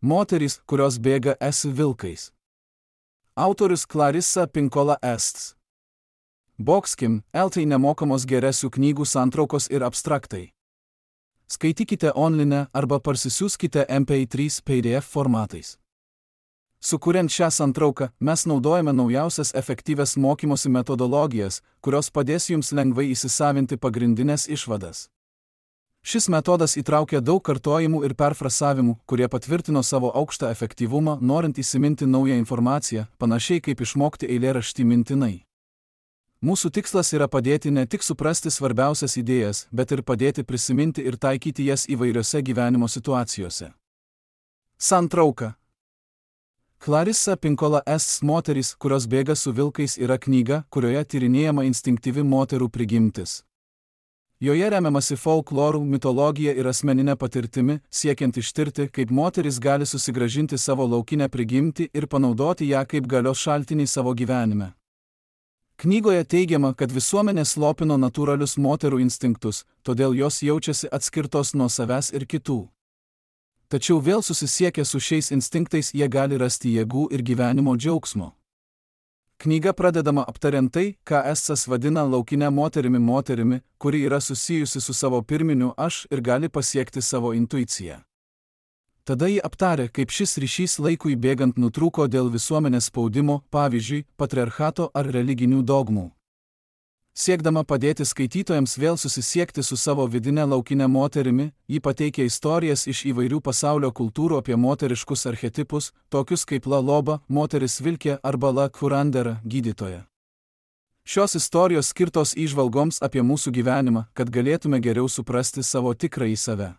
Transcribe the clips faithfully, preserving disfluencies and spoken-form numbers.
Moterys, kurios bėga es vilkais. Autorius Clarissa Pinkola Ests. Boxkim, eltai nemokamos geresių knygų santraukos ir abstraktai. Skaitykite online arba parsisiųskite em pe trys pe de ef formatais. Sukuriant šią santrauką, mes naudojame naujausias efektyvias mokymosi metodologijas, kurios padės jums lengvai įsisavinti pagrindinės išvadas. Šis metodas įtraukia daug kartojimų ir perfrasavimų, kurie patvirtino savo aukštą efektyvumą, norint įsiminti naują informaciją, panašiai kaip išmokti eilėraštį mintinai. Mūsų tikslas yra padėti ne tik suprasti svarbiausias idėjas, bet ir padėti prisiminti ir taikyti jas įvairiose gyvenimo situacijose. Santrauka. Clarissa Pinkola Ests Moterys, kurios bėga su vilkais yra knyga, kurioje tyrinėjama instinktyvi moterų prigimtis. Joje remiamasi folklorų, mitologija ir asmeninė patirtimi, siekiant ištirti, kaip moteris gali susigrąžinti savo laukinę prigimtį ir panaudoti ją kaip galios šaltinį savo gyvenime. Knygoje teigiama, kad visuomenė slopino natūralius moterų instinktus, todėl jos jaučiasi atskirtos nuo savęs ir kitų. Tačiau vėl susisiekę su šiais instinktais jie gali rasti jėgų ir gyvenimo džiaugsmo. Knyga pradedama aptariant tai, ką Estsas vadina laukinę moterimi moterimi, kuri yra susijusi su savo pirminiu aš ir gali pasiekti savo intuiciją. Tada ji aptarė, kaip šis ryšys laikui bėgant nutrūko dėl visuomenės spaudimo, pavyzdžiui, patriarchato ar religinių dogmų. Siekdama padėti skaitytojams vėl susisiekti su savo vidine laukinė moterimi, ji pateikia istorijas iš įvairių pasaulio kultūrų apie moteriškus archetipus, tokius kaip La Loba, moteris vilkė arba La Curandera, gydytoja. Šios istorijos skirtos įžvalgoms apie mūsų gyvenimą, kad galėtume geriau suprasti savo tikrąjį save.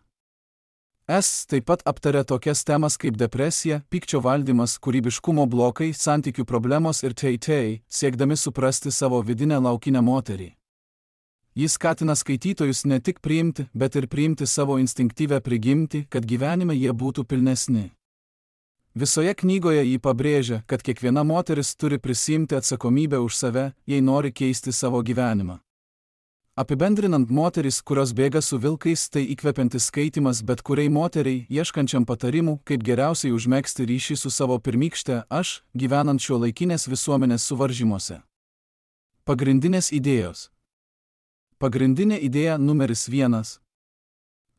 Es taip pat aptarė tokias temas kaip depresija, pykčio valdymas, kūrybiškumo blokai, santykių problemos ir tei-tei, siekdami suprasti savo vidinę laukinę moterį. Jis skatina skaitytojus ne tik priimti, bet ir priimti savo instinktyvę prigimtį, kad gyvenime jie būtų pilnesni. Visoje knygoje jį pabrėžia, kad kiekviena moteris turi prisiimti atsakomybę už save, jei nori keisti savo gyvenimą. Apibendrinant, moteris, kurios bėga su vilkais, tai įkvepiantis skaitimas bet kuriai moteriai, ieškančiam patarimų, kaip geriausiai užmegzti ryšį su savo pirmykšte aš, gyvenant šiuolaikinės visuomenės suvaržymuose. Pagrindinės idėjos. Pagrindinė idėja numeris vienas.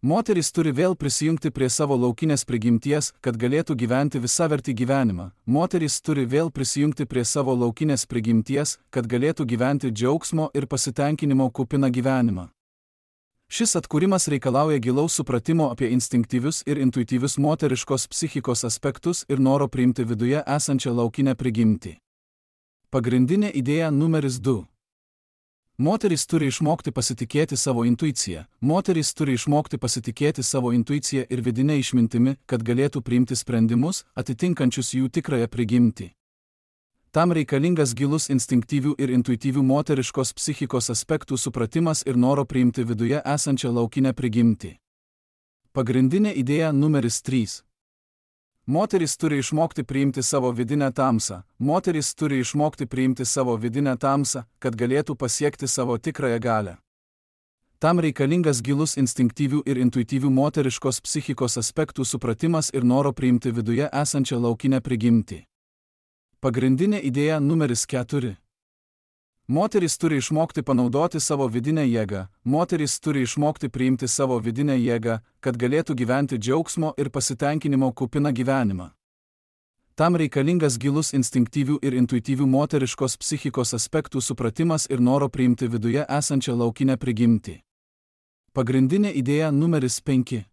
Moteris turi vėl prisijungti prie savo laukinės prigimties, kad galėtų gyventi visavertį gyvenimą. Moteris turi vėl prisijungti prie savo laukinės prigimties, kad galėtų gyventi džiaugsmo ir pasitenkinimo kupiną gyvenimą. Šis atkūrimas reikalauja gilaus supratimo apie instinktyvius ir intuityvius moteriškos psichikos aspektus ir noro priimti viduje esančią laukinę prigimtį. Pagrindinė idėja numeris du. Moteris turi išmokti pasitikėti savo intuiciją. Moteris turi išmokti pasitikėti savo intuiciją ir vidinę išmintimi, kad galėtų priimti sprendimus, atitinkančius jų tikrąją prigimtį. Tam reikalingas gilus instinktyvių ir intuityvių moteriškos psichikos aspektų supratimas ir noro priimti viduje esančią laukinę prigimtį. Pagrindinė idėja numeris trys. Moteris turi išmokti priimti savo vidinę tamsą. Moteris turi išmokti priimti savo vidinę tamsą, kad galėtų pasiekti savo tikrąją galią. Tam reikalingas gilus instinktyvių ir intuityvių moteriškos psichikos aspektų supratimas ir noro priimti viduje esančią laukinę prigimtį. Pagrindinė idėja numeris keturi. Moteris turi išmokti panaudoti savo vidinę jėgą. Moteris turi išmokti priimti savo vidinę jėgą, kad galėtų gyventi džiaugsmo ir pasitenkinimo kupiną gyvenimą. Tam reikalingas gilus instinktyvių ir intuityvių moteriškos psichikos aspektų supratimas ir noro priimti viduje esančią laukinę prigimtį. Pagrindinė idėja numeris penki.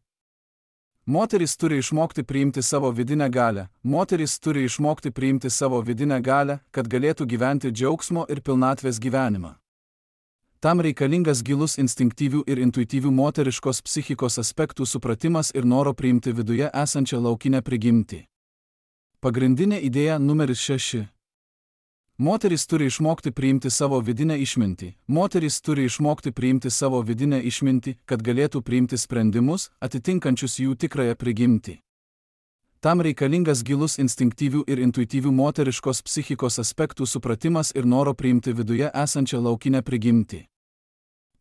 Moteris turi išmokti priimti savo vidinę galią. Moteris turi išmokti priimti savo vidinę galią, kad galėtų gyventi džiaugsmo ir pilnatvės gyvenimą. Tam reikalingas gilus instinktyvių ir intuityvių moteriškos psichikos aspektų supratimas ir noro priimti viduje esančią laukinę prigimtį. Pagrindinė idėja numeris šeši. Moteris turi išmokti priimti savo vidinę išmintį. Moteris turi išmokti priimti savo vidinę išmintį, kad galėtų priimti sprendimus, atitinkančius jų tikrąją prigimtį. Tam reikalingas gilus instinktyvių ir intuityvių moteriškos psichikos aspektų supratimas ir noro priimti viduje esančią laukinę prigimtį.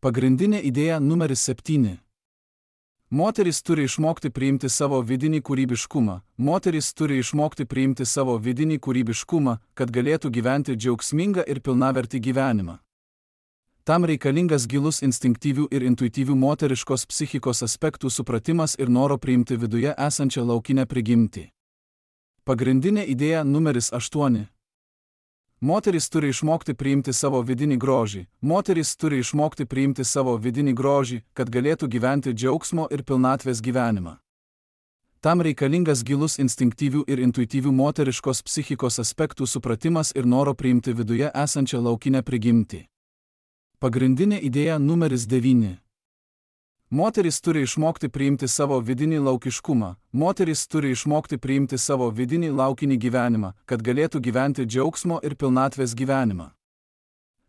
Pagrindinė idėja numeris septyni. Moteris turi išmokti priimti savo vidinį kūrybiškumą. Moteris turi išmokti priimti savo vidinį kūrybiškumą, kad galėtų gyventi džiaugsmingą ir pilnavertį gyvenimą. Tam reikalingas gilus instinktyvių ir intuityvių moteriškos psichikos aspektų supratimas ir noro priimti viduje esančią laukinę prigimtį. Pagrindinė idėja numeris aštuoni. Moteris turi išmokti priimti savo vidinį grožį. Moteris turi išmokti priimti savo vidinį grožį, kad galėtų gyventi džiaugsmo ir pilnatvės gyvenimą. Tam reikalingas gilus instinktyvių ir intuityvių moteriškos psichikos aspektų supratimas ir noro priimti viduje esančią laukinę prigimtį. Pagrindinė idėja numeris devyni. Moteris turi išmokti priimti savo vidinį laukiškumą. Moteris turi išmokti priimti savo vidinį laukinį gyvenimą, kad galėtų gyventi džiaugsmo ir pilnatvės gyvenimą.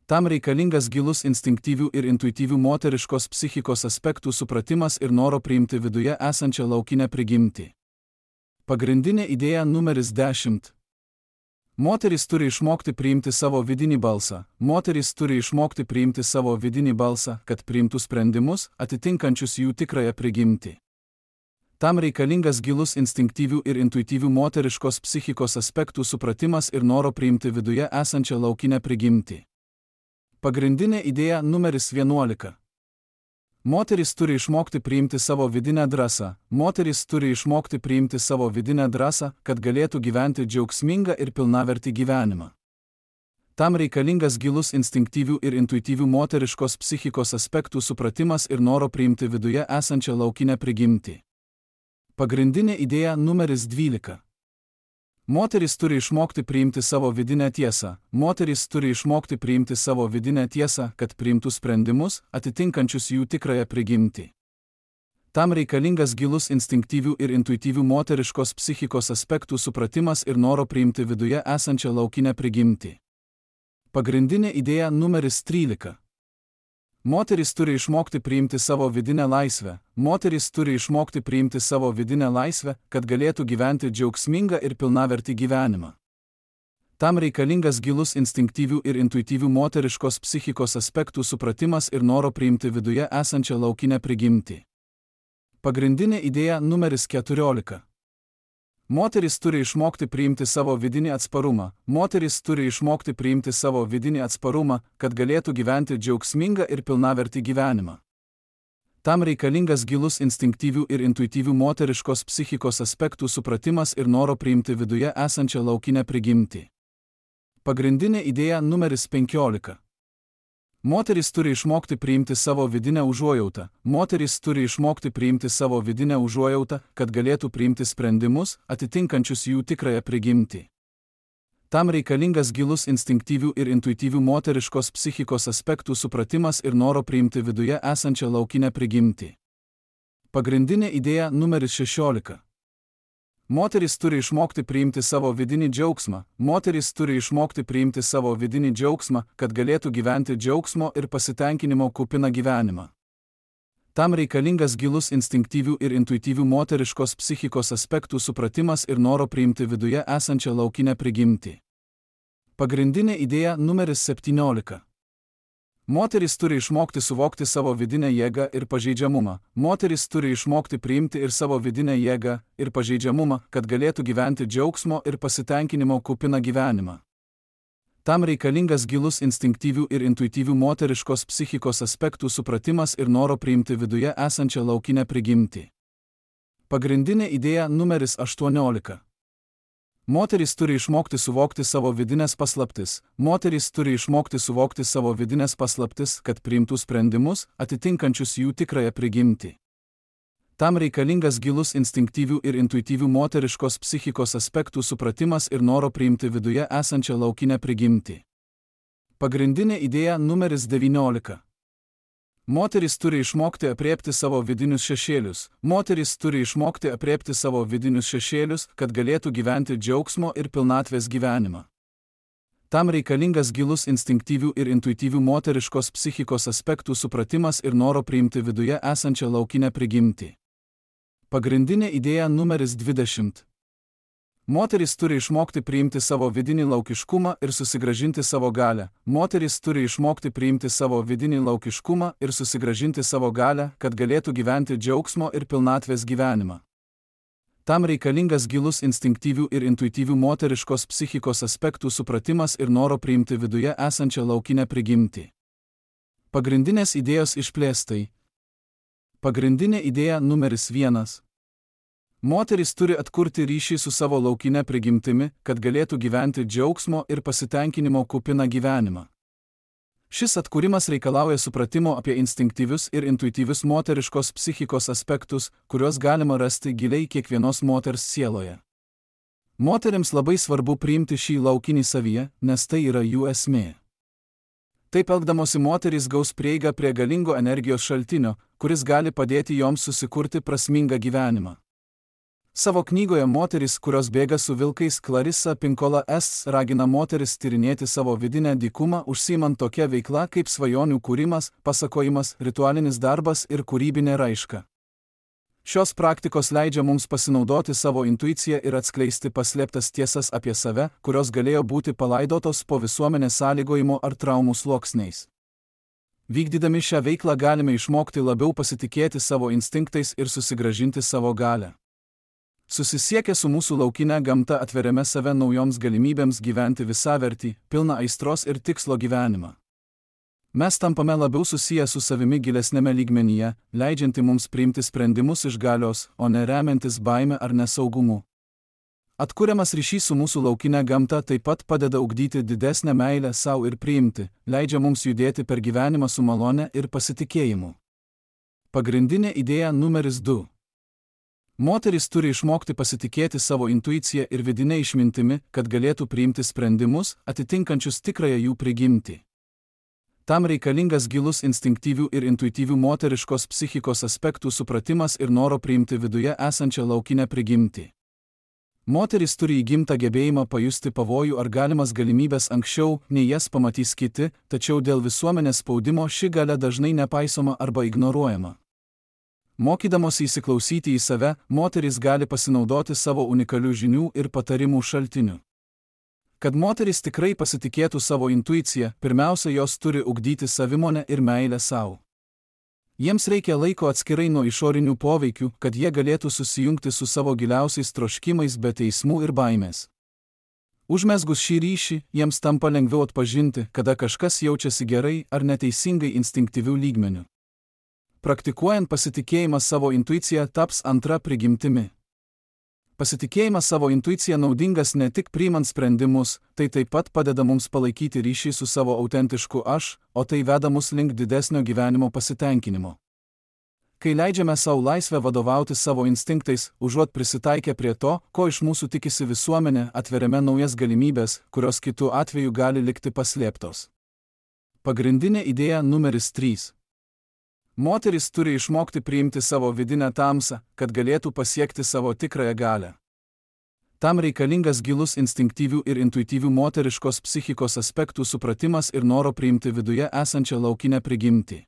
Tam reikalingas gilus instinktyvių ir intuityvių moteriškos psichikos aspektų supratimas ir noro priimti viduje esančią laukinę prigimtį. Pagrindinė idėja numeris dešimt. Moteris turi išmokti priimti savo vidinį balsą. Moteris turi išmokti priimti savo vidinį balsą, kad priimtų sprendimus, atitinkančius jų tikrąją prigimtį. Tam reikalingas gilus instinktyvių ir intuityvių moteriškos psichikos aspektų supratimas ir noro priimti viduje esančią laukinę prigimtį. Pagrindinė idėja numeris vienuolika. Moteris turi išmokti priimti savo vidinę drąsą. Moteris turi išmokti priimti savo vidinę drąsą, kad galėtų gyventi džiaugsmingą ir pilnavertį gyvenimą. Tam reikalingas gilus instinktyvių ir intuityvių moteriškos psichikos aspektų supratimas ir noro priimti viduje esančią laukinę prigimtį. Pagrindinė idėja numeris dvylika. Moteris turi išmokti priimti savo vidinę tiesą. Moteris turi išmokti priimti savo vidinę tiesą, kad priimtų sprendimus, atitinkančius jų tikrąją prigimtį. Tam reikalingas gilus instinktyvių ir intuityvių moteriškos psichikos aspektų supratimas ir noro priimti viduje esančią laukinę prigimtį. Pagrindinė idėja numeris trylika. Moteris turi išmokti priimti savo vidinę laisvę. Moteris turi išmokti priimti savo vidinę laisvę, kad galėtų gyventi džiaugsmingą ir pilnavertį gyvenimą. Tam reikalingas gilus instinktyvių ir intuityvių moteriškos psichikos aspektų supratimas ir noro priimti viduje esančią laukinę prigimtį. Pagrindinė idėja numeris keturiolika. Moteris turi išmokti priimti savo vidinį atsparumą. Moteris turi išmokti priimti savo vidinį atsparumą, kad galėtų gyventi džiaugsmingą ir pilnavertį gyvenimą. Tam reikalingas gilus instinktyvių ir intuityvių moteriškos psichikos aspektų supratimas ir noro priimti viduje esančią laukinę prigimtį. Pagrindinė idėja numeris penkiolika. Moteris turi išmokti priimti savo vidinę užuojautą. Moteris turi išmokti priimti savo vidinę užuojautą, kad galėtų priimti sprendimus, atitinkančius jų tikrąją prigimtį. Tam reikalingas gilus instinktyvių ir intuityvių moteriškos psichikos aspektų supratimas ir noro priimti viduje esančią laukinę prigimtį. Pagrindinė idėja numeris šešiolika. Moteris turi išmokti priimti savo vidinį džiaugsmą. Moteris turi išmokti priimti savo vidinį džiaugsmą, kad galėtų gyventi džiaugsmo ir pasitenkinimo kupiną gyvenimą. Tam reikalingas gilus instinktyvių ir intuityvių moteriškos psichikos aspektų supratimas ir noro priimti viduje esančią laukinę prigimtį. Pagrindinė idėja numeris septyniolika. Moteris turi išmokti suvokti savo vidinę jėgą ir pažeidžiamumą. Moteris turi išmokti priimti ir savo vidinę jėgą ir pažeidžiamumą, kad galėtų gyventi džiaugsmo ir pasitenkinimo kupiną gyvenimą. Tam reikalingas gilus instinktyvių ir intuityvių moteriškos psichikos aspektų supratimas ir noro priimti viduje esančią laukinę prigimtį. Pagrindinė idėja numeris aštuoniolika. Moteris turi išmokti suvokti savo vidinės paslaptis. Moteris turi išmokti suvokti savo vidinės paslaptis, kad priimtų sprendimus, atitinkančius jų tikrąją prigimtį. Tam reikalingas gilus instinktyvių ir intuityvių moteriškos psichikos aspektų supratimas ir noro priimti viduje esančią laukinę prigimtį. Pagrindinė idėja numeris devyniolika. Moteris turi išmokti aprėpti savo vidinius šešėlius. Moteris turi išmokti aprėpti savo vidinius šešėlius, kad galėtų gyventi džiaugsmo ir pilnatvės gyvenimą. Tam reikalingas gilus instinktyvių ir intuityvių moteriškos psichikos aspektų supratimas ir noro priimti viduje esančią laukinę prigimtį. Pagrindinė idėja numeris dvidešimt. Moterys turi išmokti priimti savo vidinį laukiškumą ir susigrąžinti savo galią. Moterys turi išmokti priimti savo vidinį laukiškumą ir susigrąžinti savo galią, kad galėtų gyventi džiaugsmo ir pilnatvės gyvenimą. Tam reikalingas gilus instinktyvių ir intuityvių moteriškos psichikos aspektų supratimas ir noro priimti viduje esančią laukinę prigimtį. Pagrindinės idėjos išplėstai. Pagrindinė idėja numeris vienas. Moterys turi atkurti ryšį su savo laukinė prigimtimi, kad galėtų gyventi džiaugsmo ir pasitenkinimo kupiną gyvenimą. Šis atkūrimas reikalauja supratimo apie instinktyvius ir intuityvius moteriškos psichikos aspektus, kuriuos galima rasti giliai kiekvienos moters sieloje. Moterims labai svarbu priimti šį laukinį savyje, nes tai yra jų esmė. Taip elgdamosi moterys gaus prieigą prie galingo energijos šaltinio, kuris gali padėti joms susikurti prasmingą gyvenimą. Savo knygoje Moterys, kurios bėga su vilkais, Clarissa Pinkola Estes ragina moteris tyrinėti savo vidinę dykumą, užsiimant tokia veikla kaip svajonių kūrimas, pasakojimas, ritualinis darbas ir kūrybinė raiška. Šios praktikos leidžia mums pasinaudoti savo intuiciją ir atskleisti paslėptas tiesas apie save, kurios galėjo būti palaidotos po visuomenės sąlygojimo ar traumų sluoksniais. Vykdydami šią veiklą galime išmokti labiau pasitikėti savo instinktais ir susigrąžinti savo galią. Susisiekę su mūsų laukinė gamta atveriame save naujoms galimybėms gyventi visavertį, pilną aistros ir tikslo gyvenimą. Mes tampame labiau susiję su savimi gilesnėme lygmenyje, leidžianti mums priimti sprendimus iš galios, o ne remiantis baime ar nesaugumu. Atkuriamas ryšys su mūsų laukinė gamta taip pat padeda ugdyti didesnę meilę savo ir priimti, leidžia mums judėti per gyvenimą su malone ir pasitikėjimu. Pagrindinė idėja numeris du. Moterys turi išmokti pasitikėti savo intuiciją ir vidinę išmintimi, kad galėtų priimti sprendimus, atitinkančius tikrąją jų prigimtį. Tam reikalingas gilus instinktyvių ir intuityvių moteriškos psichikos aspektų supratimas ir noro priimti viduje esančią laukinę prigimtį. Moterys turi įgimtą gebėjimą pajusti pavojų ar galimas galimybės anksčiau, nei jas pamatys kiti, tačiau dėl visuomenės spaudimo ši galia dažnai nepaisoma arba ignoruojama. Mokydamosi įsiklausyti į save, moterys gali pasinaudoti savo unikalių žinių ir patarimų šaltiniu. Kad moterys tikrai pasitikėtų savo intuiciją, pirmiausia, jos turi ugdyti savimonę ir meilę savo. Jiems reikia laiko atskirai nuo išorinių poveikių, kad jie galėtų susijungti su savo giliausiais troškimais be teismų ir baimės. Užmesgus šį ryšį, jiems tampa lengviau atpažinti, kada kažkas jaučiasi gerai ar neteisingai instinktyvių lygmenių. Praktikuojant pasitikėjimą savo intuiciją taps antra prigimtimi. Pasitikėjimas savo intuicija naudingas ne tik priimant sprendimus, tai taip pat padeda mums palaikyti ryšį su savo autentišku aš, o tai veda mus link didesnio gyvenimo pasitenkinimo. Kai leidžiame savo laisvę vadovauti savo instinktais, užuot prisitaikę prie to, ko iš mūsų tikisi visuomenė, atveriame naujas galimybės, kurios kitu atveju gali likti paslėptos. Pagrindinė idėja numeris trys. Moterys turi išmokti priimti savo vidinę tamsą, kad galėtų pasiekti savo tikrąją galią. Tam reikalingas gilus instinktyvių ir intuityvių moteriškos psichikos aspektų supratimas ir noro priimti viduje esančią laukinę prigimtį.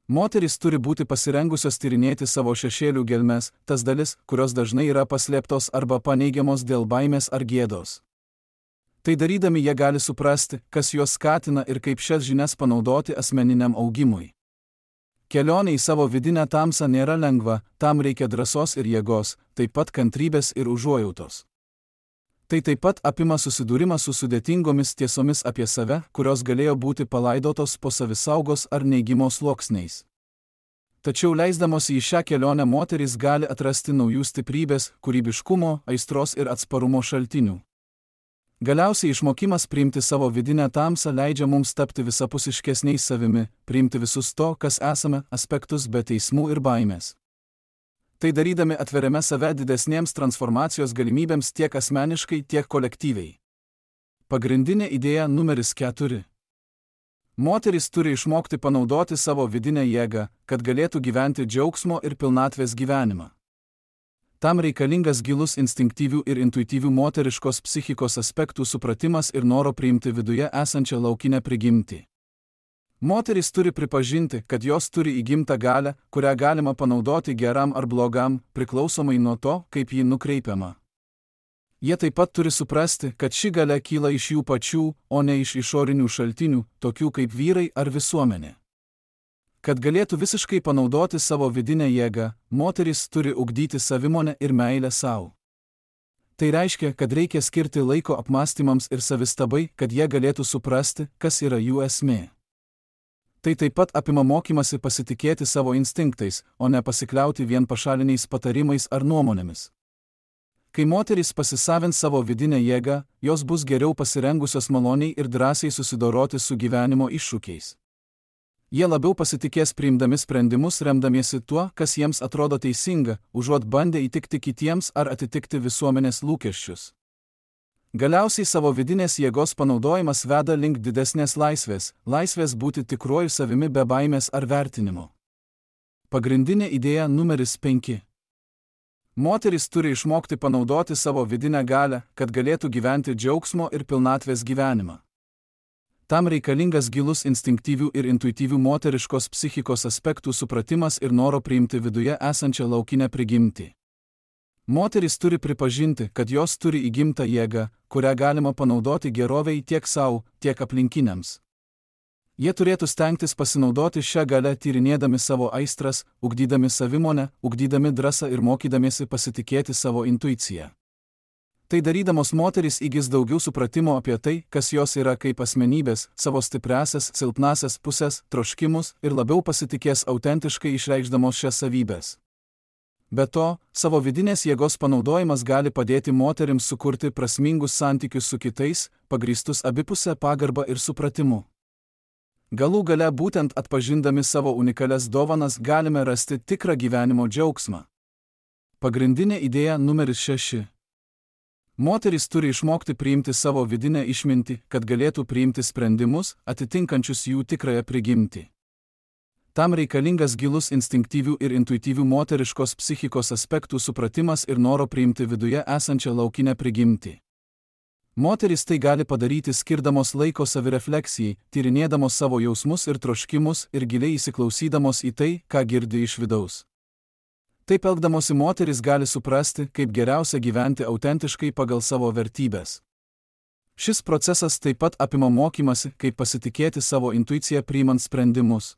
Moterys turi būti pasirengusios tyrinėti savo šešėlių gelmes, tas dalis, kurios dažnai yra paslėptos arba paneigiamos dėl baimės ar gėdos. Tai darydami jie gali suprasti, kas juos skatina ir kaip šias žinias panaudoti asmeniniam augimui. Kelionė į savo vidinę tamsą nėra lengva, tam reikia drąsos ir jėgos, taip pat kantrybės ir užuojautos. Tai taip pat apima susidūrimą su sudėtingomis tiesomis apie save, kurios galėjo būti palaidotos po savisaugos ar neigimo sluoksniais. Tačiau leisdamosi į šią kelionę moterys gali atrasti naujų stiprybės, kūrybiškumo, aistros ir atsparumo šaltinių. Galiausiai išmokimas priimti savo vidinę tamsą leidžia mums tapti visapusiškesniais savimi, priimti visus to, kas esame, aspektus be teismų ir baimės. Tai darydami atveriame save didesnėms transformacijos galimybėms tiek asmeniškai, tiek kolektyviai. Pagrindinė idėja numeris keturi. Moterys turi išmokti panaudoti savo vidinę jėgą, kad galėtų gyventi džiaugsmo ir pilnatvės gyvenimą. Tam reikalingas gilus instinktyvių ir intuityvių moteriškos psichikos aspektų supratimas ir noro priimti viduje esančią laukinę prigimtį. Moterys turi pripažinti, kad jos turi įgimtą galią, kurią galima panaudoti geram ar blogam, priklausomai nuo to, kaip ji nukreipiama. Jie taip pat turi suprasti, kad ši galia kyla iš jų pačių, o ne iš išorinių šaltinių, tokių kaip vyrai ar visuomenė. Kad galėtų visiškai panaudoti savo vidinę jėgą, moterys turi ugdyti savimonę ir meilę savo. Tai reiškia, kad reikia skirti laiko apmąstymams ir savistabai, kad jie galėtų suprasti, kas yra jų esmė. Tai taip pat apima mokymasi pasitikėti savo instinktais, o ne pasikliauti vien pašaliniais patarimais ar nuomonėmis. Kai moterys pasisavins savo vidinę jėgą, jos bus geriau pasirengusios maloniai ir drąsiai susidoroti su gyvenimo iššūkiais. Jie labiau pasitikės priimdami sprendimus remdamiesi tuo, kas jiems atrodo teisinga, užuot bandę įtikti kitiems ar atitikti visuomenės lūkesčius. Galiausiai savo vidinės jėgos panaudojimas veda link didesnės laisvės, laisvės būti tikruoju savimi be baimės ar vertinimo. Pagrindinė idėja numeris penki. Moterys turi išmokti panaudoti savo vidinę galią, kad galėtų gyventi džiaugsmo ir pilnatvės gyvenimą. Tam reikalingas gilus instinktyvių ir intuityvių moteriškos psichikos aspektų supratimas ir noro priimti viduje esančią laukinę prigimtį. Moterys turi pripažinti, kad jos turi įgimtą jėgą, kurią galima panaudoti geroviai tiek savo, tiek aplinkiniams. Jie turėtų stengtis pasinaudoti šią galę tyrinėdami savo aistras, ugdydami savimonę, ugdydami drąsą ir mokydamiesi pasitikėti savo intuiciją. Tai darydamos moterys įgis daugiau supratimo apie tai, kas jos yra kaip asmenybės, savo stipriasias, silpnasias pusės, troškimus ir labiau pasitikės autentiškai išreikšdamos šias savybės. Be to, savo vidinės jėgos panaudojimas gali padėti moterims sukurti prasmingus santykius su kitais, pagrįstus abipusę pagarbą ir supratimu. Galų gale būtent atpažindami savo unikalias dovanas galime rasti tikrą gyvenimo džiaugsmą. Pagrindinė idėja numeris šeši. Moterys turi išmokti priimti savo vidinę išmintį, kad galėtų priimti sprendimus, atitinkančius jų tikrąją prigimtį. Tam reikalingas gilus instinktyvių ir intuityvių moteriškos psichikos aspektų supratimas ir noro priimti viduje esančią laukinę prigimtį. Moterys tai gali padaryti skirdamos laiko savirefleksijai, tyrinėdamos savo jausmus ir troškimus ir giliai įsiklausydamos į tai, ką girdi iš vidaus. Taip elgdamosi moterys gali suprasti, kaip geriausia gyventi autentiškai pagal savo vertybės. Šis procesas taip pat apima mokymasi, kaip pasitikėti savo intuiciją priimant sprendimus.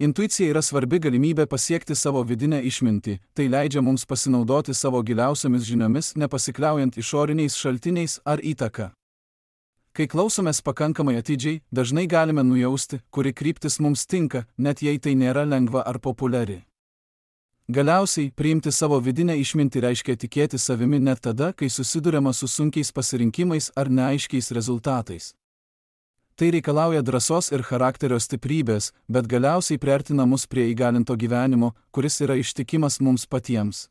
Intuicija yra svarbi galimybė pasiekti savo vidinę išmintį, tai leidžia mums pasinaudoti savo giliausiamis žiniomis, nepasikliaujant išoriniais šaltiniais ar įtaka. Kai klausomės pakankamai atidžiai, dažnai galime nujausti, kuri kryptis mums tinka, net jei tai nėra lengva ar populiari. Galiausiai, priimti savo vidinę išmintį reiškia tikėti savimi net tada, kai susiduriama su sunkiais pasirinkimais ar neaiškiais rezultatais. Tai reikalauja drąsos ir charakterio stiprybės, bet galiausiai priartina mus prie įgalinto gyvenimo, kuris yra ištikimas mums patiems.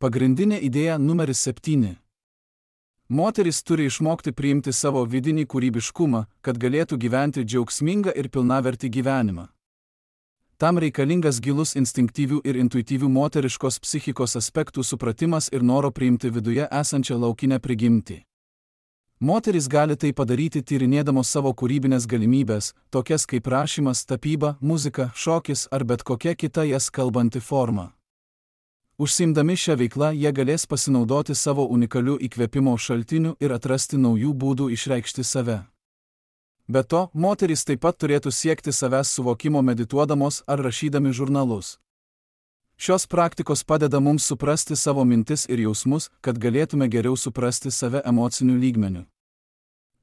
Pagrindinė idėja numeris septyni. Moterys turi išmokti priimti savo vidinį kūrybiškumą, kad galėtų gyventi džiaugsmingą ir pilnavertį gyvenimą. Tam reikalingas gilus instinktyvių ir intuityvių moteriškos psichikos aspektų supratimas ir noro priimti viduje esančią laukinę prigimtį. Moterys gali tai padaryti tyrinėdamos savo kūrybinės galimybės, tokias kaip rašymas, tapyba, muzika, šokis ar bet kokia kita jas kalbanti forma. Užsiimdami šią veiklą jie galės pasinaudoti savo unikaliu įkvėpimo šaltiniu ir atrasti naujų būdų išreikšti save. Be to, moterys taip pat turėtų siekti savęs suvokimo medituodamos ar rašydami žurnalus. Šios praktikos padeda mums suprasti savo mintis ir jausmus, kad galėtume geriau suprasti save emociniu lygmeniu.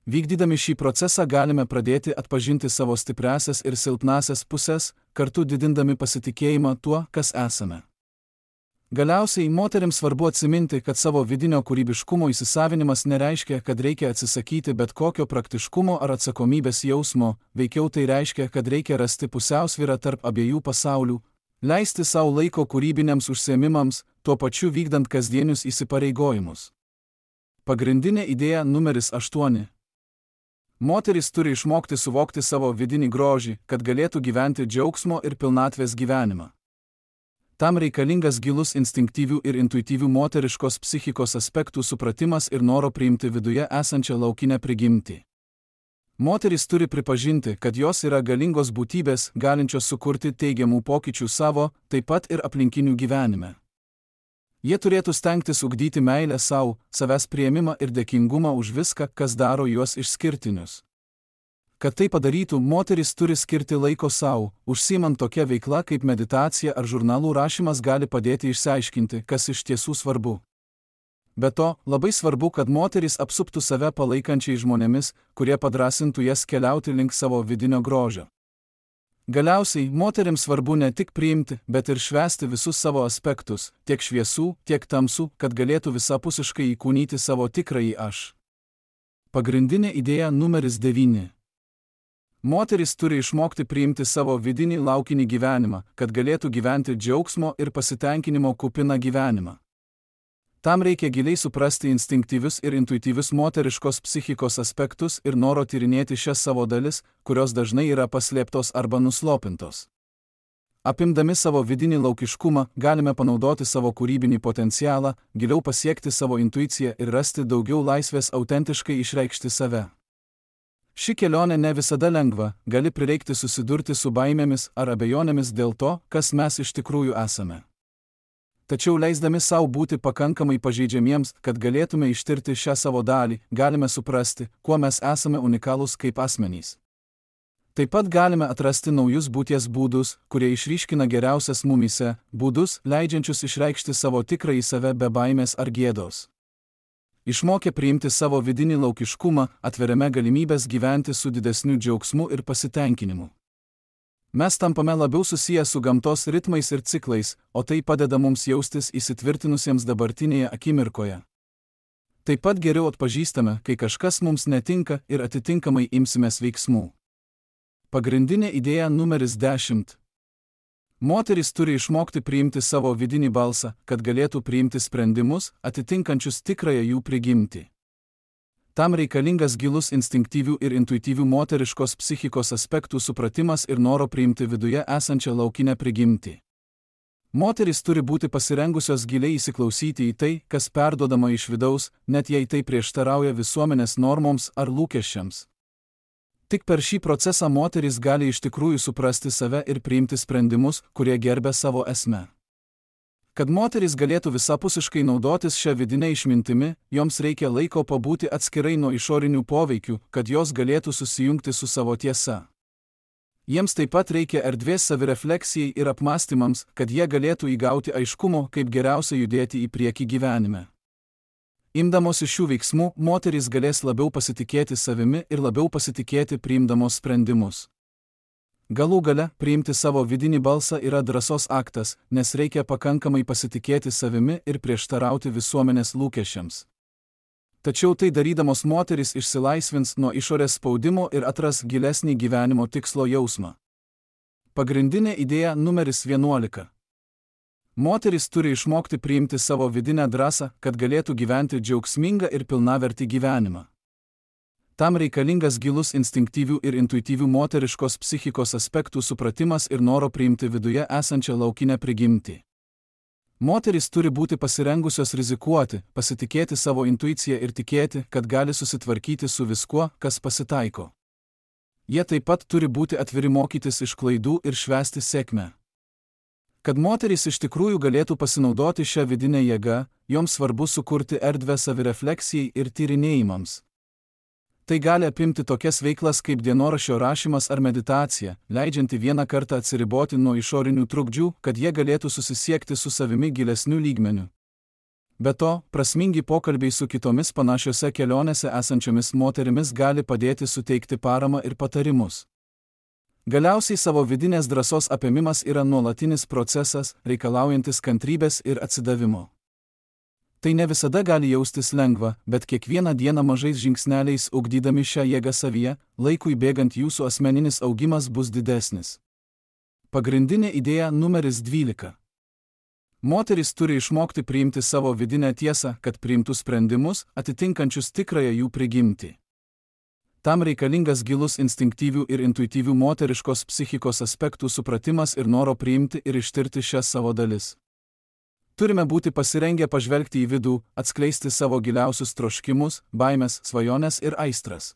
Vykdydami šį procesą galime pradėti atpažinti savo stipriasias ir silpnasias pusės, kartu didindami pasitikėjimą tuo, kas esame. Galiausiai moterims svarbu atsiminti, kad savo vidinio kūrybiškumo įsisavinimas nereiškia, kad reikia atsisakyti bet kokio praktiškumo ar atsakomybės jausmo, veikiau tai reiškia, kad reikia rasti pusiausvyrą tarp abiejų pasaulių, leisti savo laiko kūrybiniams užsiėmimams, tuo pačiu vykdant kasdienius įsipareigojimus. Pagrindinė idėja numeris aštuoni. Moterys turi išmokti suvokti savo vidinį grožį, kad galėtų gyventi džiaugsmo ir pilnatvės gyvenimą. Tam reikalingas gilus instinktyvių ir intuityvių moteriškos psichikos aspektų supratimas ir noro priimti viduje esančią laukinę prigimtį. Moterys turi pripažinti, kad jos yra galingos būtybės, galinčios sukurti teigiamų pokyčių savo, taip pat ir aplinkinių gyvenime. Jie turėtų stengtis ugdyti meilę savo, savęs priėmimą ir dėkingumą už viską, kas daro juos išskirtinius. Kad tai padarytų, moteris turi skirti laiko savo, užsiimant tokia veikla kaip meditacija ar žurnalų rašymas gali padėti išsiaiškinti, kas iš tiesų svarbu. Be to, labai svarbu, kad moteris apsuptų save palaikančiai žmonėmis, kurie padrasintų jas keliauti link savo vidinio grožio. Galiausiai, moterims svarbu ne tik priimti, bet ir švęsti visus savo aspektus, tiek šviesų, tiek tamsų, kad galėtų visapusiškai įkūnyti savo tikrąjį aš. Pagrindinė idėja numeris devyni. Moteris turi išmokti priimti savo vidinį laukinį gyvenimą, kad galėtų gyventi džiaugsmo ir pasitenkinimo kupiną gyvenimą. Tam reikia giliai suprasti instinktyvius ir intuityvius moteriškos psichikos aspektus ir noro tyrinėti šias savo dalis, kurios dažnai yra paslėptos arba nuslopintos. Apimdami savo vidinį laukiškumą, galime panaudoti savo kūrybinį potencialą, giliau pasiekti savo intuiciją ir rasti daugiau laisvės autentiškai išreikšti save. Ši kelionė ne visada lengva, gali prireikti susidurti su baimėmis ar abejonėmis dėl to, kas mes iš tikrųjų esame. Tačiau leisdami savo būti pakankamai pažeidžiamiems, kad galėtume ištirti šią savo dalį, galime suprasti, kuo mes esame unikalūs kaip asmenys. Taip pat galime atrasti naujus būties būdus, kurie išryškina geriausias mumyse, būdus, leidžiančius išreikšti savo tikrąjį save be baimės ar gėdos. Išmokę priimti savo vidinį laukiškumą, atveriame galimybės gyventi su didesniu džiaugsmu ir pasitenkinimu. Mes tampame labiau susiję su gamtos ritmais ir ciklais, o tai padeda mums jaustis įsitvirtinusiems dabartinėje akimirkoje. Taip pat geriau atpažįstame, kai kažkas mums netinka ir atitinkamai imsimės veiksmų. Pagrindinė idėja numeris dešimt. Moteris turi išmokti priimti savo vidinį balsą, kad galėtų priimti sprendimus, atitinkančius tikrąją jų prigimtį. Tam reikalingas gilus instinktyvių ir intuityvių moteriškos psichikos aspektų supratimas ir noro priimti viduje esančią laukinę prigimtį. Moterys turi būti pasirengusios giliai įsiklausyti į tai, kas perduodama iš vidaus, net jei tai prieštarauja visuomenės normoms ar lūkesčiams. Tik per šį procesą moteris gali iš tikrųjų suprasti save ir priimti sprendimus, kurie gerbia savo esmę. Kad moteris galėtų visapusiškai naudotis šią vidinę išmintimi, joms reikia laiko pabūti atskirai nuo išorinių poveikių, kad jos galėtų susijungti su savo tiesa. Jiems taip pat reikia erdvės savirefleksijai ir apmąstymams, kad jie galėtų įgauti aiškumo, kaip geriausia judėti į priekį gyvenime. Imdamosi šių veiksmų, moterys galės labiau pasitikėti savimi ir labiau pasitikėti priimdamos sprendimus. Galų gale, priimti savo vidinį balsą yra drąsos aktas, nes reikia pakankamai pasitikėti savimi ir prieštarauti visuomenės lūkesčiams. Tačiau tai darydamos moterys išsilaisvins nuo išorės spaudimo ir atras gilesnį gyvenimo tikslo jausmą. Pagrindinė idėja numeris vienuolika. Moteris turi išmokti priimti savo vidinę drąsą, kad galėtų gyventi džiaugsmingą ir pilnavertį gyvenimą. Tam reikalingas gilus instinktyvių ir intuityvių moteriškos psichikos aspektų supratimas ir noro priimti viduje esančią laukinę prigimtį. Moterys turi būti pasirengusios rizikuoti, pasitikėti savo intuiciją ir tikėti, kad gali susitvarkyti su viskuo, kas pasitaiko. Jie taip pat turi būti atviri mokytis iš klaidų ir švęsti sėkmę. Kad moterys iš tikrųjų galėtų pasinaudoti šią vidinę jėgą, joms svarbu sukurti erdvę savirefleksijai ir tyrinėjimams. Tai gali apimti tokias veiklas kaip dienoraščio rašymas ar meditacija, leidžianti vieną kartą atsiriboti nuo išorinių trukdžių, kad jie galėtų susisiekti su savimi gilesniu lygmeniu. Be to, prasmingi pokalbiai su kitomis panašiose kelionėse esančiomis moterimis gali padėti suteikti paramą ir patarimus. Galiausiai savo vidinės drąsos apėmimas yra nuolatinis procesas, reikalaujantis kantrybės ir atsidavimo. Tai ne visada gali jaustis lengva, bet kiekvieną dieną mažais žingsneliais ugdydami šią jėgą savyje, laikui bėgant jūsų asmeninis augimas bus didesnis. Pagrindinė idėja numeris dvylika. Moterys turi išmokti priimti savo vidinę tiesą, kad priimtų sprendimus, atitinkančius tikrąją jų prigimtį. Tam reikalingas gilus instinktyvių ir intuityvių moteriškos psichikos aspektų supratimas ir noro priimti ir ištirti šias savo dalis. Turime būti pasirengę pažvelgti į vidų, atskleisti savo giliausius troškimus, baimes, svajones ir aistras.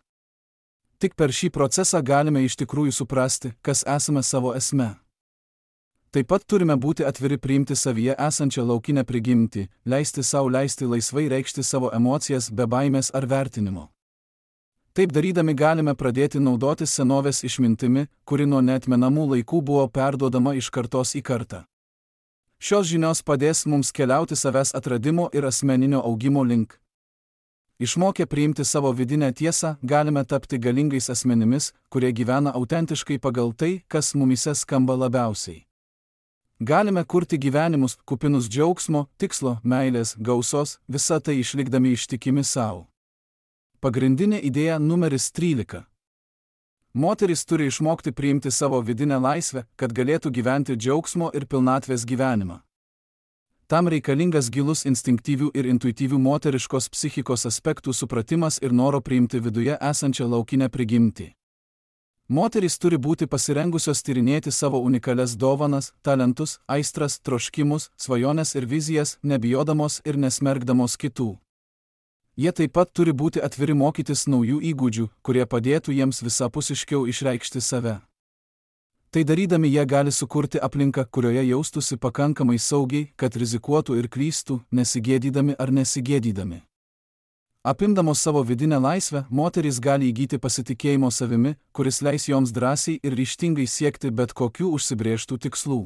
Tik per šį procesą galime iš tikrųjų suprasti, kas esame savo esme. Taip pat turime būti atviri priimti savyje esančią laukinę prigimtį, leisti sau leisti laisvai reikšti savo emocijas be baimės ar vertinimo. Taip darydami galime pradėti naudotis senovės išmintimi, kuri nuo neatmenamų laikų buvo perduodama iš kartos į kartą. Šios žinios padės mums keliauti savęs atradimo ir asmeninio augimo link. Išmokę priimti savo vidinę tiesą, galime tapti galingais asmenimis, kurie gyvena autentiškai pagal tai, kas mumyse skamba labiausiai. Galime kurti gyvenimus, kupinus džiaugsmo, tikslo, meilės, gausos, visą tai išlikdami ištikimi savo. Pagrindinė idėja numeris trylika. Moteris turi išmokti priimti savo vidinę laisvę, kad galėtų gyventi džiaugsmo ir pilnatvės gyvenimą. Tam reikalingas gilus instinktyvių ir intuityvių moteriškos psichikos aspektų supratimas ir noro priimti viduje esančią laukinę prigimtį. Moterys turi būti pasirengusios tyrinėti savo unikalias dovanas, talentus, aistras, troškimus, svajones ir vizijas, nebijodamos ir nesmergdamos kitų. Jie taip pat turi būti atviri mokytis naujų įgūdžių, kurie padėtų jiems visapusiškiau išreikšti save. Tai darydami jie gali sukurti aplinką, kurioje jaustųsi pakankamai saugiai, kad rizikuotų ir klystų, nesigėdydami ar nesigėdydami. Apimdamos savo vidinę laisvę, moterys gali įgyti pasitikėjimo savimi, kuris leis joms drąsiai ir ryžtingai siekti bet kokių užsibrėžtų tikslų.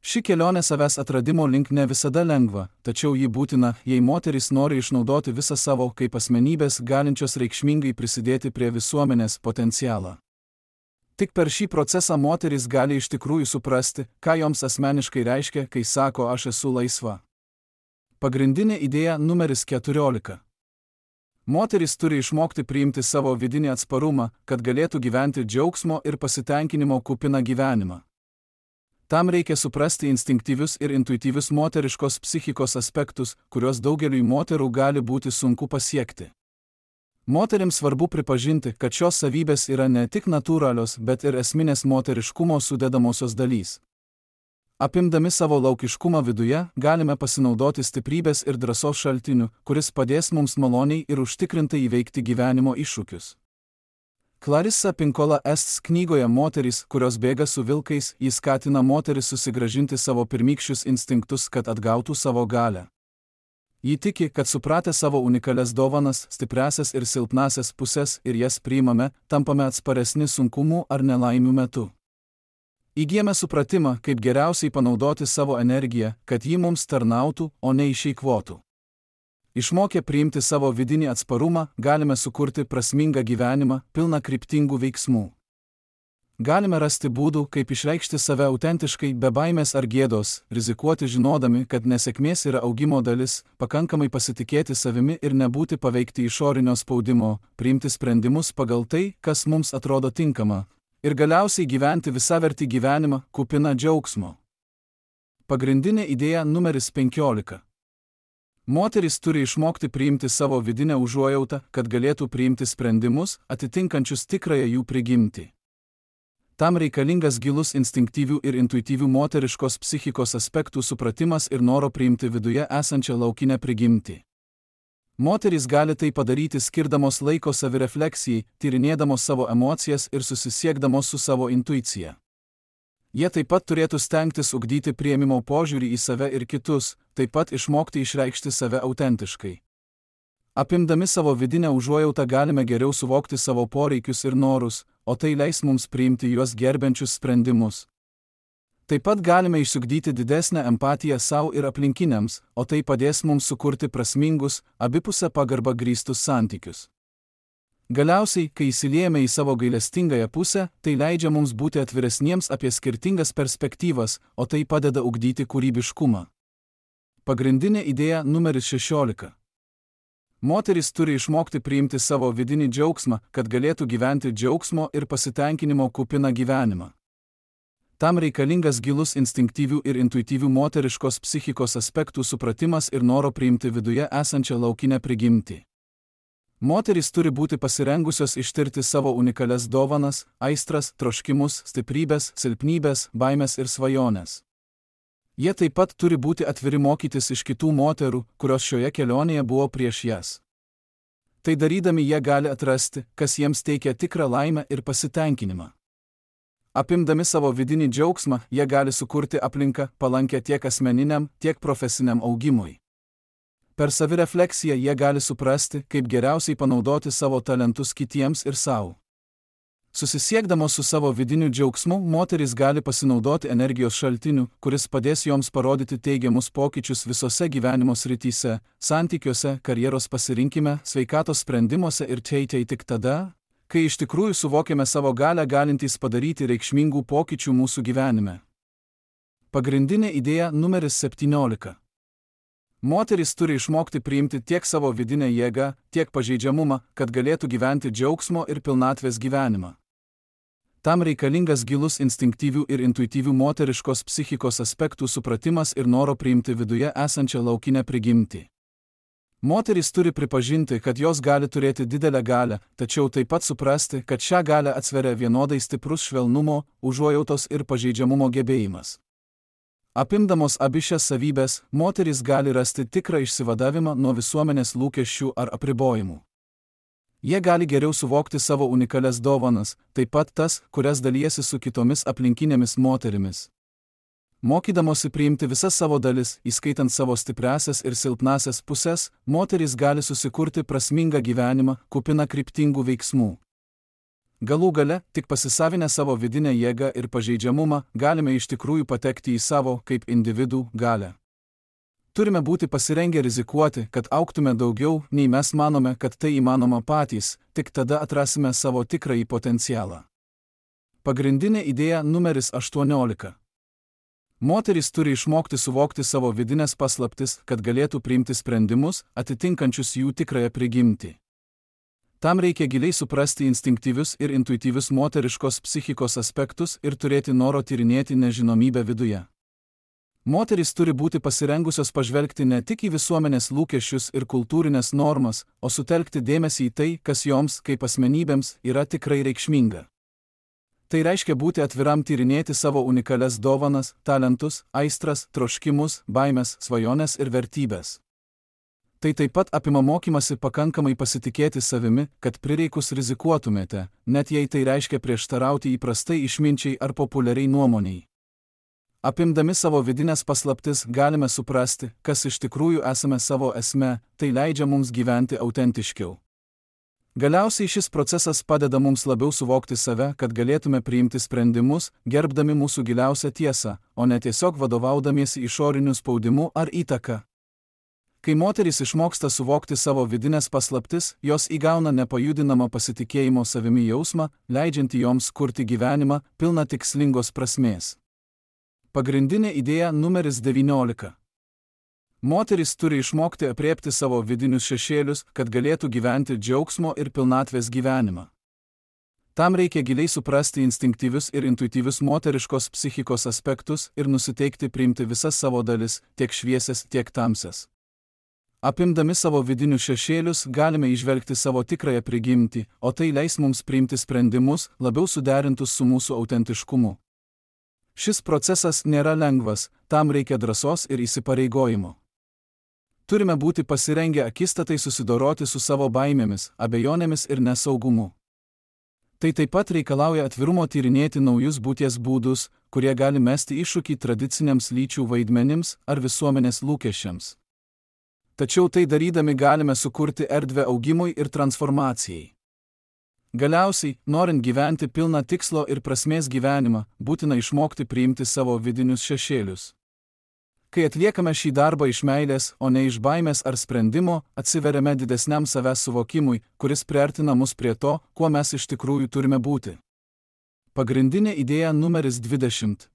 Ši kelionė savęs atradimo link ne visada lengva, tačiau ji būtina, jei moterys nori išnaudoti visą savo kaip asmenybės galinčios reikšmingai prisidėti prie visuomenės potencialą. Tik per šį procesą moterys gali iš tikrųjų suprasti, ką joms asmeniškai reiškia, kai sako aš esu laisva. Pagrindinė idėja numeris keturiolika. Moterys turi išmokti priimti savo vidinį atsparumą, kad galėtų gyventi džiaugsmo ir pasitenkinimo kupiną gyvenimą. Tam reikia suprasti instinktyvius ir intuityvius moteriškos psichikos aspektus, kuriuos daugeliui moterų gali būti sunku pasiekti. Moterims svarbu pripažinti, kad šios savybės yra ne tik natūralios, bet ir esminės moteriškumo sudedamosios dalys. Apimdami savo laukiškumą viduje, galime pasinaudoti stiprybės ir drąsos šaltiniu, kuris padės mums maloniai ir užtikrintai įveikti gyvenimo iššūkius. Clarissa Pinkola Estes knygoje Moterys, kurios bėga su vilkais, jis skatina moteris susigrąžinti savo pirmykščius instinktus, kad atgautų savo galią. Ji tiki, kad supratę savo unikalias dovanas, stipriasias ir silpnasias pusės ir jas priimame, tampame atsparesni sunkumų ar nelaimių metu. Įgyjame supratimą, kaip geriausiai panaudoti savo energiją, kad ji mums tarnautų, o ne išeikvotų. Išmokę priimti savo vidinį atsparumą, galime sukurti prasmingą gyvenimą, pilną kryptingų veiksmų. Galime rasti būdų, kaip išreikšti save autentiškai, be baimės ar gėdos, rizikuoti žinodami, kad nesėkmės yra augimo dalis, pakankamai pasitikėti savimi ir nebūti paveikti išorinio spaudimo, priimti sprendimus pagal tai, kas mums atrodo tinkama, ir galiausiai gyventi visavertį gyvenimą, kupiną džiaugsmo. Pagrindinė idėja numeris penkiolika. Moterys turi išmokti priimti savo vidinę užuojautą, kad galėtų priimti sprendimus, atitinkančius tikrąją jų prigimtį. Tam reikalingas gilus instinktyvių ir intuityvių moteriškos psichikos aspektų supratimas ir noro priimti viduje esančią laukinę prigimtį. Moterys gali tai padaryti skirdamos laiko savirefleksijai, tyrinėdamos savo emocijas ir susisiekdamos su savo intuicija. Jie taip pat turėtų stengtis ugdyti priėmimo požiūrį į save ir kitus, taip pat išmokti išreikšti save autentiškai. Apimdami savo vidinę užuojautą galime geriau suvokti savo poreikius ir norus, o tai leis mums priimti juos gerbiančius sprendimus. Taip pat galime išsiugdyti didesnę empatiją savo ir aplinkiniams, o tai padės mums sukurti prasmingus, abipusę pagarbą grįstus santykius. Galiausiai, kai įsiliejame į savo gailestingąją pusę, tai leidžia mums būti atviresniems apie skirtingas perspektyvas, o tai padeda ugdyti kūrybiškumą. Pagrindinė idėja numeris šešiolika. Moterys turi išmokti priimti savo vidinį džiaugsmą, kad galėtų gyventi džiaugsmo ir pasitenkinimo kupiną gyvenimą. Tam reikalingas gilus instinktyvių ir intuityvių moteriškos psichikos aspektų supratimas ir noro priimti viduje esančią laukinę prigimtį. Moterys turi būti pasirengusios ištirti savo unikalias dovanas, aistras, troškimus, stiprybės, silpnybės, baimės ir svajones. Jie taip pat turi būti atviri mokytis iš kitų moterų, kurios šioje kelionėje buvo prieš jas. Tai darydami jie gali atrasti, kas jiems teikia tikrą laimę ir pasitenkinimą. Apimdami savo vidinį džiaugsmą, jie gali sukurti aplinką palankę tiek asmeniniam, tiek profesiniam augimui. Per savirefleksiją jie gali suprasti, kaip geriausiai panaudoti savo talentus kitiems ir savo. Susisiekdamos su savo vidiniu džiaugsmu, moterys gali pasinaudoti energijos šaltiniu, kuris padės joms parodyti teigiamus pokyčius visose gyvenimo srityse, santykiuose, karjeros pasirinkime, sveikatos sprendimuose ir teitei tik tada, kai iš tikrųjų suvokiame savo galią galintys padaryti reikšmingų pokyčių mūsų gyvenime. Pagrindinė idėja numeris septyniolika. Moterys turi išmokti priimti tiek savo vidinę jėgą, tiek pažeidžiamumą, kad galėtų gyventi džiaugsmo ir pilnatvės gyvenimą. Tam reikalingas gilus instinktyvių ir intuityvių moteriškos psichikos aspektų supratimas ir noro priimti viduje esančią laukinę prigimtį. Moterys turi pripažinti, kad jos gali turėti didelę galią, tačiau taip pat suprasti, kad šią galią atsveria vienodai stiprus švelnumo, užuojautos ir pažeidžiamumo gebėjimas. Apimdamos abi šias savybės, moterys gali rasti tikrą išsivadavimą nuo visuomenės lūkesčių ar apribojimų. Jie gali geriau suvokti savo unikalias dovanas, taip pat tas, kurias dalijasi su kitomis aplinkinėmis moterimis. Mokydamosi priimti visas savo dalis, įskaitant savo stipriasias ir silpnasias pusės, moterys gali susikurti prasmingą gyvenimą, kupiną kryptingų veiksmų. Galų gale, tik pasisavinę savo vidinę jėgą ir pažeidžiamumą, galime iš tikrųjų patekti į savo, kaip individų, galią. Turime būti pasirengę rizikuoti, kad augtume daugiau, nei mes manome, kad tai įmanoma patys, tik tada atrasime savo tikrąjį potencialą. Pagrindinė idėja numeris aštuoniolika. Moterys turi išmokti suvokti savo vidinės paslaptis, kad galėtų priimti sprendimus, atitinkančius jų tikrąją prigimtį. Tam reikia giliai suprasti instinktyvius ir intuityvius moteriškos psichikos aspektus ir turėti noro tyrinėti nežinomybę viduje. Moterys turi būti pasirengusios pažvelgti ne tik į visuomenės lūkesčius ir kultūrinės normas, o sutelkti dėmesį į tai, kas joms, kaip asmenybėms, yra tikrai reikšminga. Tai reiškia būti atviram tyrinėti savo unikalias dovanas, talentus, aistras, troškimus, baimes, svajones ir vertybės. Tai taip pat apima mokymasi pakankamai pasitikėti savimi, kad prireikus rizikuotumėte, net jei tai reiškia prieštarauti įprastai išminčiai ar populiariai nuomoniai. Apimdami savo vidinės paslaptis galime suprasti, kas iš tikrųjų esame savo esme, tai leidžia mums gyventi autentiškiau. Galiausiai šis procesas padeda mums labiau suvokti save, kad galėtume priimti sprendimus, gerbdami mūsų giliausią tiesą, o ne tiesiog vadovaudamiesi išoriniu spaudimu ar įtaka. Kai moterys išmoksta suvokti savo vidinės paslaptis, jos įgauna nepajudinamą pasitikėjimo savimi jausmą, leidžiantį joms kurti gyvenimą, pilną tikslingos prasmės. Pagrindinė idėja numeris devyniolika. Moterys turi išmokti apriepti savo vidinius šešėlius, kad galėtų gyventi džiaugsmo ir pilnatvės gyvenimą. Tam reikia giliai suprasti instinktyvius ir intuityvius moteriškos psichikos aspektus ir nusiteikti priimti visas savo dalis, tiek šviesias, tiek tamsias. Apimdami savo vidinius šešėlius galime įžvelgti savo tikrąją prigimtį, o tai leis mums priimti sprendimus, labiau suderintus su mūsų autentiškumu. Šis procesas nėra lengvas, tam reikia drąsos ir įsipareigojimo. Turime būti pasirengę akistatai susidoroti su savo baimėmis, abejonėmis ir nesaugumu. Tai taip pat reikalauja atvirumo tyrinėti naujus būties būdus, kurie gali mesti iššūkį tradiciniams lyčių vaidmenims ar visuomenės lūkesčiams. Tačiau tai darydami galime sukurti erdvę augimui ir transformacijai. Galiausiai, norint gyventi pilną tikslo ir prasmės gyvenimą, būtina išmokti priimti savo vidinius šešėlius. Kai atliekame šį darbą iš meilės, o ne iš baimės ar sprendimo, atsiveriame didesniam savęs suvokimui, kuris priartina mus prie to, kuo mes iš tikrųjų turime būti. Pagrindinė idėja numeris dvidešimt.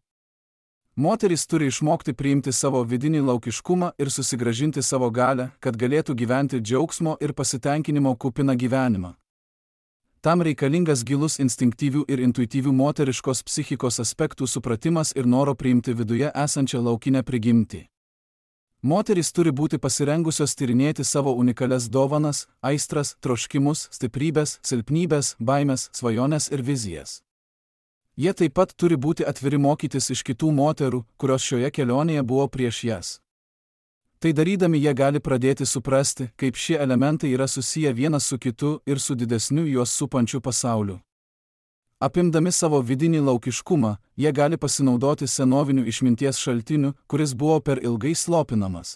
Moterys turi išmokti priimti savo vidinį laukiškumą ir susigrąžinti savo galią, kad galėtų gyventi džiaugsmo ir pasitenkinimo kupiną gyvenimą. Tam reikalingas gilus instinktyvių ir intuityvių moteriškos psichikos aspektų supratimas ir noro priimti viduje esančią laukinę prigimtį. Moterys turi būti pasirengusios tyrinėti savo unikalias dovanas, aistras, troškimus, stiprybės, silpnybės, baimes, svajones ir vizijas. Jie taip pat turi būti atviri mokytis iš kitų moterų, kurios šioje kelionėje buvo prieš jas. Tai darydami jie gali pradėti suprasti, kaip šie elementai yra susiję vienas su kitu ir su didesniu juos supančiu pasauliu. Apimdami savo vidinį laukiškumą, jie gali pasinaudoti senoviniu išminties šaltiniu, kuris buvo per ilgai slopinamas.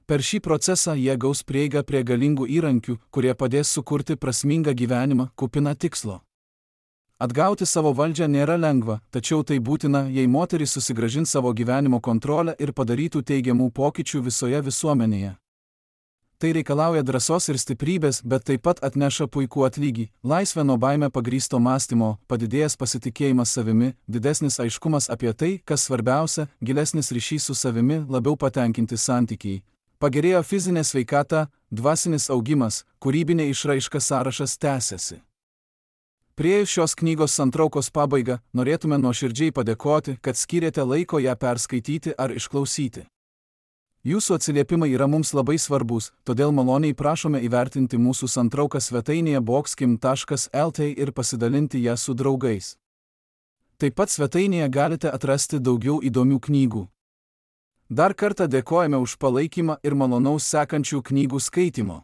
Per šį procesą jie gaus prieigą prie galingų įrankių, kurie padės sukurti prasmingą gyvenimą, kupiną tikslo. Atgauti savo valdžią nėra lengva, tačiau tai būtina, jei moteris susigrąžins savo gyvenimo kontrolę ir padarytų teigiamų pokyčių visoje visuomenėje. Tai reikalauja drąsos ir stiprybės, bet taip pat atneša puikų atlygį, laisvę nuo baime pagrįsto mąstymo, padidėjęs pasitikėjimas savimi, didesnis aiškumas apie tai, kas svarbiausia, gilesnis ryšys su savimi, labiau patenkinti santykiai. Pagerėjo fizinė sveikata, dvasinis augimas, kūrybinė išraiška, sąrašas tęsiasi. Priėjus šios knygos santraukos pabaigą, norėtume nuoširdžiai padėkoti, kad skyrėte laiko ją perskaityti ar išklausyti. Jūsų atsiliepimai yra mums labai svarbus, todėl maloniai prašome įvertinti mūsų santrauką svetainėje boxkim taškas el tė ir pasidalinti ją su draugais. Taip pat svetainėje galite atrasti daugiau įdomių knygų. Dar kartą dėkojame už palaikymą ir malonaus sekančių knygų skaitimo.